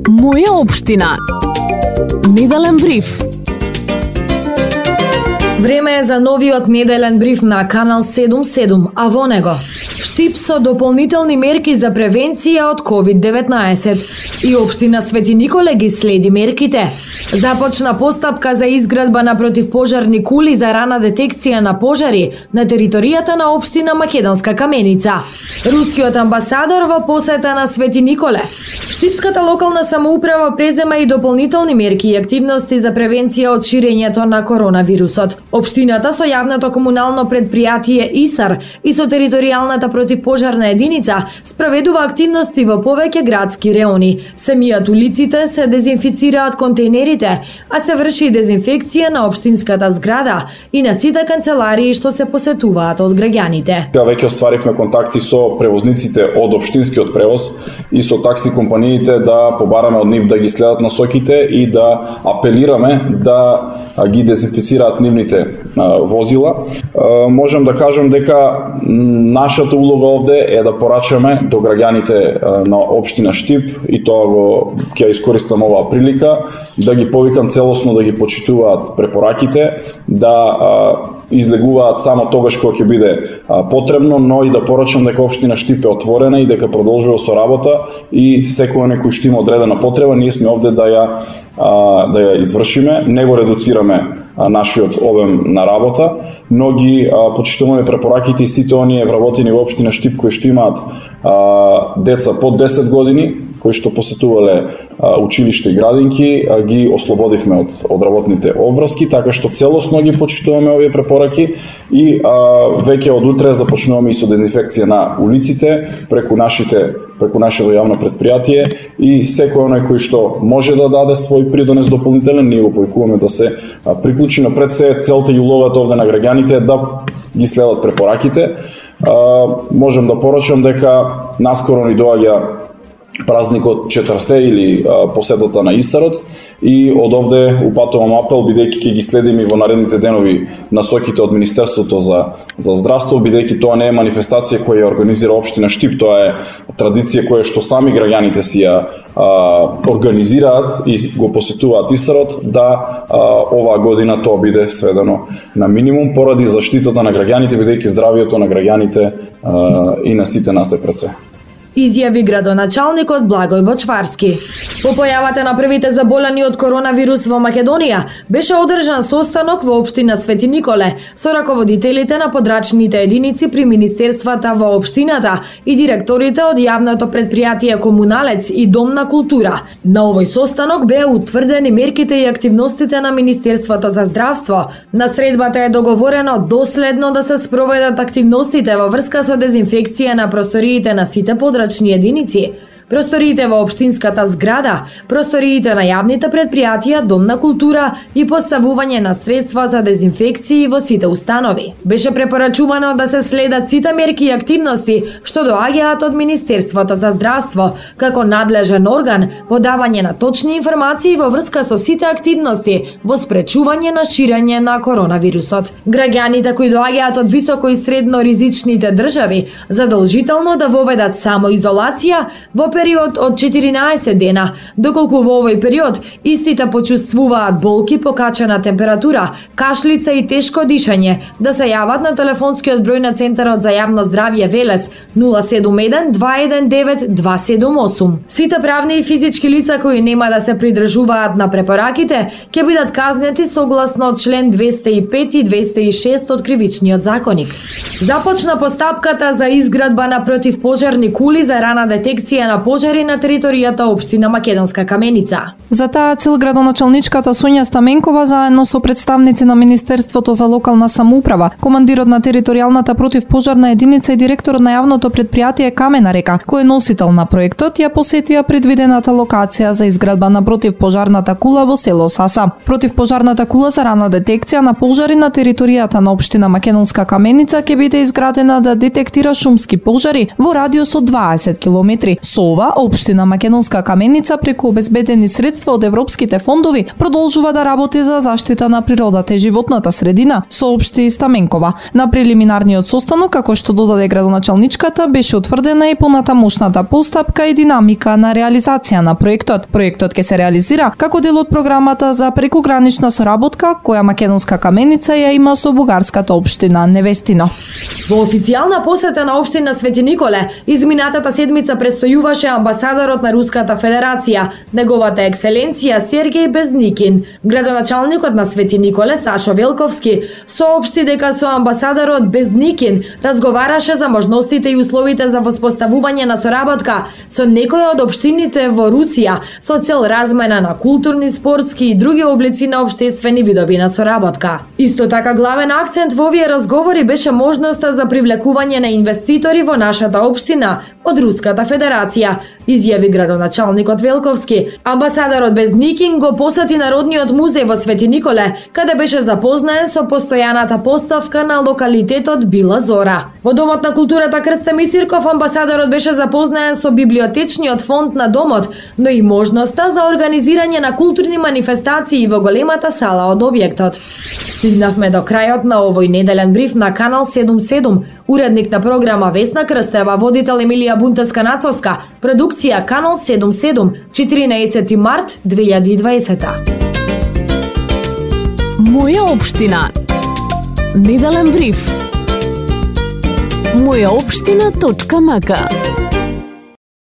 Моја општина. Неделен бриф. Време е за новиот неделен бриф на Канал 77, а во него Штип со дополнителни мерки за превенција од COVID-19 и општина Свети Николе ги следи мерките. Започна постапка за изградба на противпожарни кули за рана детекција на пожари на територијата на општина Македонска Каменица. Рускиот амбасадор во посета на Свети Николе. Штипската локална самоуправа презема и дополнителни мерки и активности за превенција од ширењето на коронавирусот. Општината со јавното комунално предпријатие ИСАР и со територијалната противпожарна единица спроведува активности во повеќе градски реони. Се мијат улиците, се дезинфицираат контейнерите, а се врши и дезинфекција на општинската зграда и на сите канцеларии што се посетуваат од граѓаните. Веќе остваривме контакти со превозниците од општинскиот превоз и со такси компаниите да побараме од нив да ги следат насоките и да апелираме да ги дезинфицираат нивните возила. Можам да кажам дека нашата улога овде е да порачаме до граѓаните на општина Штип и тоа ќе искористам оваа прилика да ги повикам целосно да ги почитуваат препораките, да излегуваат само тогаш кога ќе биде потребно, но и да порачам дека општина Штип е отворена и дека продолжува со работа и секој некој што има одредена потреба, ние сме овде да ја извршиме, не го редуцираме нашиот обем на работа, но ги почитуваме препораките и сите оние вработени во општина Штип кои што имаат деца под 10 години, кои што посетувале училиште и градинки, ги ослободивме од работните обврски, така што целосно ги почитуваме овие препораки и веќе од утре започнуваме и со дезинфекција на улиците преку нашето јавно предпријатие и секој оној кој што може да даде свој придонес дополнителен, ние го повикуваме да се приклучи, но пред се целта и улогата овде на граѓаните да ги следат препораките. Можам да порачам дека наскоро ни доаѓа празникот Четрсе или посетата на Исарот и од овде упатувам апел, бидејќи ќе ги следиме во наредните денови насоките од Министерството за здравство, бидејќи тоа не е манифестација која ја организира општина Штип, тоа е традиција која што сами граѓаните си ја организираат и го посетуваат Исарот, да оваа година тоа биде сведено на минимум поради заштитата на граѓаните, бидејќи здравието на граѓаните и на сите нас е пред се. Изјави градоначалникот Благој Бочварски. По појавата на првите заболени од коронавирус во Македонија, беше одржан состанок во општина Свети Николе со раководителите на подрачните единици при министерствата во општината и директорите од јавното предпријатие Комуналец и Дом на култура. На овој состанок беа утврдени мерките и активностите на Министерството за здравство. На средбата е договорено доследно да се спроведат активностите во врска со дезинфекција на просториите на сите подрачни единици, просториите во општинската зграда, просториите на јавните предпријатија, Дом на култура и поставување на средства за дезинфекции во сите установи. Беше препорачувано да се следат сите мерки и активности што доаѓаат од Министерството за здравство, како надлежен орган, подавање на точни информации во врска со сите активности во спречување на ширење на коронавирусот. Граѓаните кои доаѓаат од високо и средно ризичните држави задолжително да воведат самоизолација во период од 14 дена, доколку во овој период истите почувствуваат болки, покачена температура, кашлица и тешко дишање, да се јават на телефонскиот број на Центарот за јавно здравје Велес 071 219 278. Сите правни и физички лица кои нема да се придржуваат на препораките ќе бидат казнети согласно член 205 и 206 од Кривичниот законик. Започна постапката за изградба на противпожарни кули за рана детекција на пожари на територијата општина Македонска Каменица. За таа цел градоначалничката Сонја Стаменкова заедно со представници на Министерството за локална самоуправа, командирот на територијалната противпожарна единица и директорот на јавното предпријатие Камена река, кој е носител на проектот, ја посетија предвидената локација за изградба на противпожарната кула во село Саса. Противпожарната кула за рана детекција на пожари на територијата на општина Македонска Каменица ќе биде изградена да детектира шумски пожари во радиус од 20 километри. Со ова ова, општина Македонска Каменица преку обезбедени средства од европските фондови продолжува да работи за заштита на природата и животната средина, соопшти Стаменкова. На прелиминарниот состанок, како што додаде градоначалничката, беше утврдена и понатамошната постапка и динамика на реализација на проектот. Проектот ќе се реализира како дел од програмата за прекугранична соработка која Македонска Каменица ја има со бугарската општина Невестино. Во официјална посета на општина Свети Николе, изминатата седмица престојуваше амбасадорот на Руската Федерација, неговата екселенција Сергеј Безникин. Градоначалникот на Свети Николе Сашо Велковски соопшти дека со амбасадорот Безникин разговараше за можностите и условите за воспоставување на соработка со некои од општините во Русија со цел размена на културни, спортски и други облици на општествени видови на соработка. Исто така главен акцент во овие разговори беше можноста за привлекување на инвеститори во нашата општина од Руската Федерација, изјави градоначалникот Велковски. Амбасадорот Безникин го посети Народниот музеј во Свети Николе, каде беше запознаен со постојаната поставка на локалитетот Била Зора. Во Домот на културата Крстем Исирков амбасадорот беше запознаен со библиотечниот фонд на домот, но и можноста за организирање на културни манифестации во големата сала од објектот. Стигнавме до крајот на овој неделен бриф на Канал 77. Уредник на програма Весна Крстева, водител Емилија Бунтеска-Нацовска, продукција Канал 77, 14 март 2020. Моја општина. Неделен бриф. Мојаопштина.мк